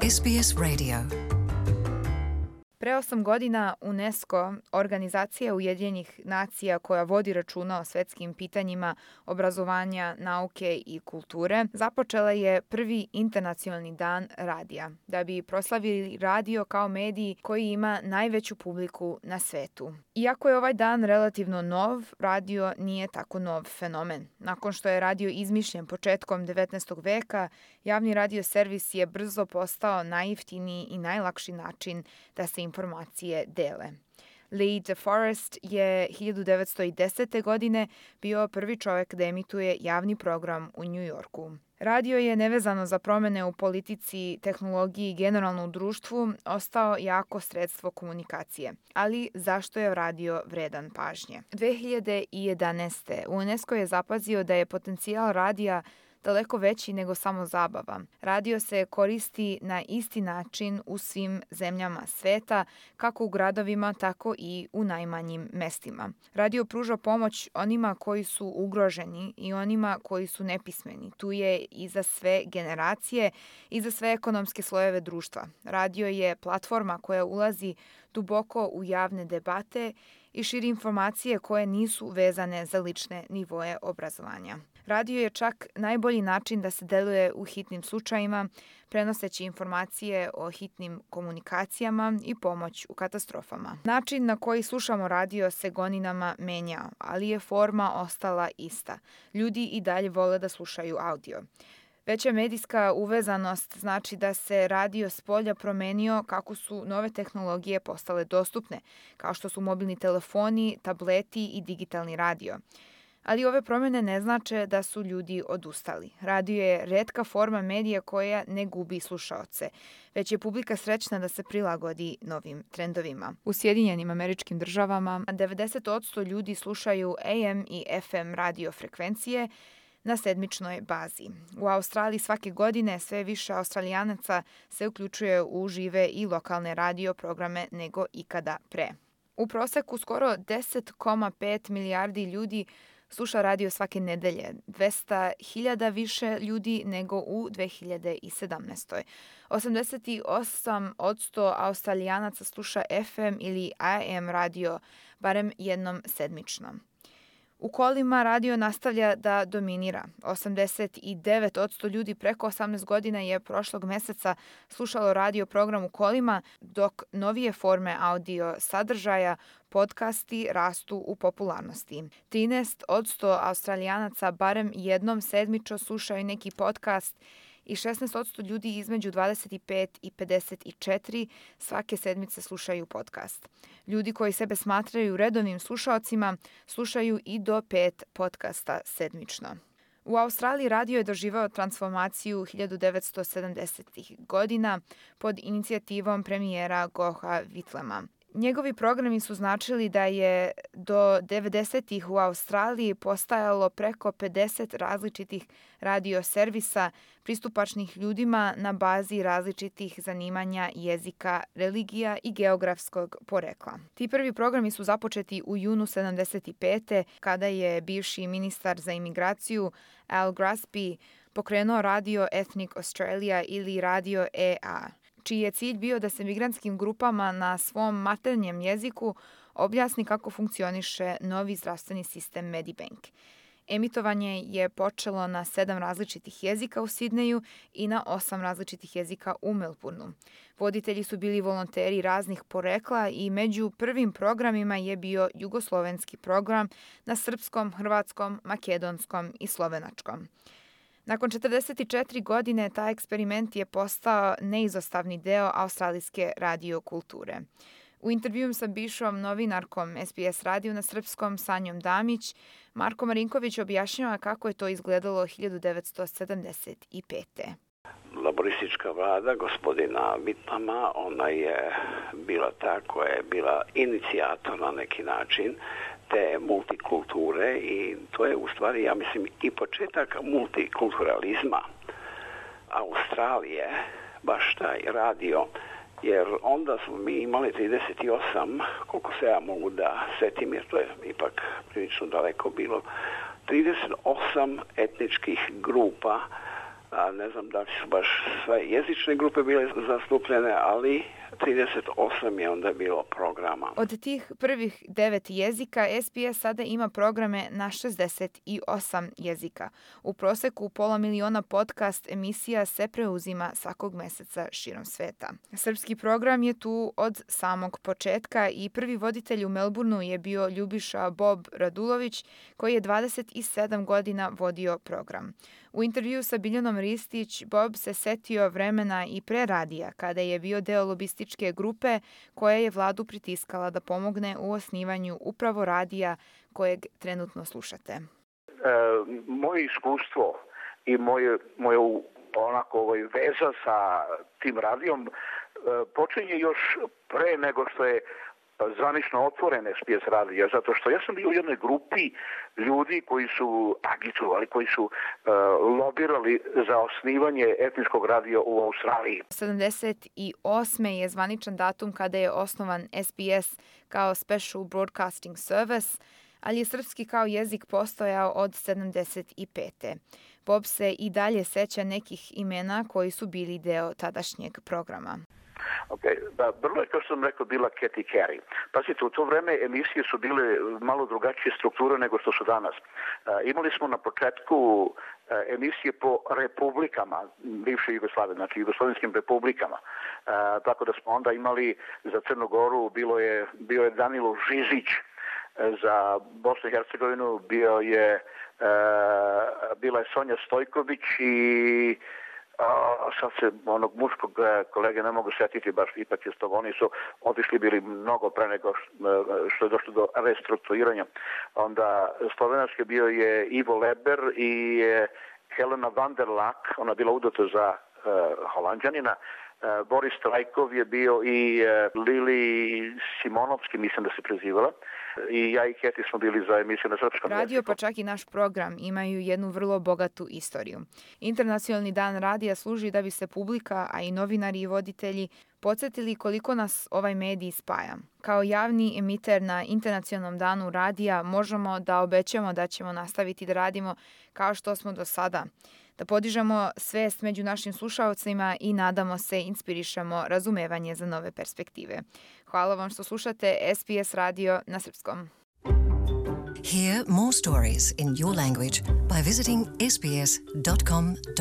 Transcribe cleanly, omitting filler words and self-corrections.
SBS Radio. Pre 8 godina UNESCO, organizacija Ujedinjenih nacija koja vodi računa o svetskim pitanjima obrazovanja, nauke i kulture, započela je prvi internacionalni dan radija, da bi proslavili radio kao medij koji ima najveću publiku na svetu. Iako je ovaj dan relativno nov, radio nije tako nov fenomen. Nakon što je radio izmišljen početkom 19. veka, javni radio servis je brzo postao najjeftiniji i najlakši način da se informacije dele. Lee DeForest je 1910. godine bio prvi čovjek da emituje javni program u New Yorku. Radio je nevezano za promene u politici, tehnologiji i generalno u društvu ostao jako sredstvo komunikacije. Ali zašto je radio vredan pažnje? 2011. UNESCO je zapazio da je potencijal radija daleko veći nego samo zabava. Radio se koristi na isti način u svim zemljama sveta, kako u gradovima, tako i u najmanjim mestima. Radio pruža pomoć onima koji su ugroženi i onima koji su nepismeni. Tu je i za sve generacije i za sve ekonomske slojeve društva. Radio je platforma koja ulazi duboko u javne debate i širi informacije koje nisu vezane za lične nivoe obrazovanja. Radio je čak najbolji način da se deluje u hitnim slučajima, prenoseći informacije o hitnim komunikacijama i pomoć u katastrofama. Način na koji slušamo radio se godinama menjao, ali je forma ostala ista. Ljudi i dalje vole da slušaju audio. Veća medijska uvezanost znači da se radio spolja promenio kako su nove tehnologije postale dostupne, kao što su mobilni telefoni, tableti i digitalni radio. Ali ove promjene ne znače da su ljudi odustali. Radio je retka forma medija koja ne gubi slušaoce, već je publika srećna da se prilagodi novim trendovima. U Sjedinjenim Američkim Državama 90% ljudi slušaju AM i FM radio frekvencije na sedmičnoj bazi. U Australiji svake godine sve više Australijanaca se uključuje u žive i lokalne radio programe nego ikada pre. U proseku skoro 10,5 milijardi ljudi sluša radio svake nedelje, 200.000 više ljudi nego u 2017. 88% Australijanaca sluša FM ili AM radio barem jednom sedmično. U kolima radio nastavlja da dominira. 89% ljudi preko 18 godina je prošlog meseca slušalo radio program u kolima, dok novije forme audio sadržaja, podcasti rastu u popularnosti. 13% Australijanaca barem jednom sedmično slušaju neki podcast i 16% ljudi između 25 i 54 svake sedmice slušaju podcast. Ljudi koji sebe smatraju redovnim slušaocima slušaju i do 5 podcasta sedmično. U Australiji radio je doživao transformaciju 1970. godina pod inicijativom premijera Gougha Whitlama. Njegovi programi su značili da je do 90-ih u Australiji postajalo preko 50 različitih radio servisa pristupačnih ljudima na bazi različitih zanimanja, jezika, religija i geografskog porekla. Ti prvi programi su započeti u junu 75. kada je bivši ministar za imigraciju Al Grassby pokrenuo radio Ethnic Australia ili radio EA, čiji je cilj bio da se migrantskim grupama na svom maternjem jeziku objasni kako funkcioniše novi zdravstveni sistem Medibank. Emitovanje je počelo na 7 različitih jezika u Sidneju i na 8 različitih jezika u Melbourneu. Voditelji su bili volonteri raznih porekla i među prvim programima je bio jugoslovenski program na srpskom, hrvatskom, makedonskom i slovenačkom. Nakon 44 godine taj eksperiment je postao neizostavni deo australijske radio kulture. U intervjuu sa bivšom novinarkom SBS radiju na srpskom Sanjom Damić, Marko Marinković objašnjava kako je to izgledalo 1975. Laboristička vlada gospodina Whitlama, ona je bila ta koja je bila inicijator na neki način te multikulture i to je u stvari, ja mislim, i početak multikulturalizma Australije, baš taj radio, jer onda smo mi imali 38, koliko se ja mogu da setim, jer to je ipak prilično daleko bilo, 38 etničkih grupa Ne znam da li su baš sve jezične grupe bile zastupljene, ali 38 je onda bilo programa. Od tih prvih 9 jezika, SBS sada ima programe na 68 jezika. U proseku 500.000 podcast emisija se preuzima svakog meseca širom sveta. Srpski program je tu od samog početka i prvi voditelj u Melbourneu je bio Ljubiša Bob Radulović, koji je 27 godina vodio program. U intervju sa Biljanom Ristić, Bob se setio vremena i pre radija, kada je bio deo lobističke grupe koja je vladu pritiskala da pomogne u osnivanju upravo radija kojeg trenutno slušate. Moje iskustvo i moje onako veza sa tim radijom počinje još pre nego što je zvanično otvoren SBS radio, zato što ja sam bio u jednoj grupi ljudi koji su agitovali, koji su lobirali za osnivanje etničkog radija u Australiji. 78. je zvaničan datum kada je osnovan SBS kao Special Broadcasting Service, ali je srpski kao jezik postojao od 75. Bob se i dalje seća nekih imena koji su bili deo tadašnjeg programa. Vrlo je, kao što sam rekao, bila Katy Carey. Pazite, u to vreme emisije su bile malo drugačije strukture nego što su danas. Imali smo na početku emisije po republikama bivše Jugoslavije, znači jugoslovenskim republikama. Tako da smo onda imali za Crnu Goru, bio je Danilo Žižić, za Bosnu i Hercegovinu bila je Sonja Stojković i sad se onog muškog kolege ne mogu setiti, baš ipak je to, oni su otišli bili mnogo pre nego što je došlo do restrukturiranja. Onda slovenački bio je Ivo Leber i Helena van der Lak, ona bila udata za Holanđanina. Boris Trajkov je bio i Lili Simonovski, mislim da se prezivala. I ja i Keti smo bili za emisiju na srpskom jeziku. Radio, pa čak i naš program, imaju jednu vrlo bogatu istoriju. Internacionalni dan radija služi da bi se publika, a i novinari i voditelji podsjetili koliko nas ovaj medij spaja. Kao javni emiter na Internacionalnom danu radija možemo da obećamo da ćemo nastaviti da radimo kao što smo do sada, da podižemo svest među našim slušaocima i nadamo se inspirišemo razumevanje za nove perspektive. Hvala vam što slušate SBS radio na srpskom. Hear more stories in your language by visiting sbs.com.au.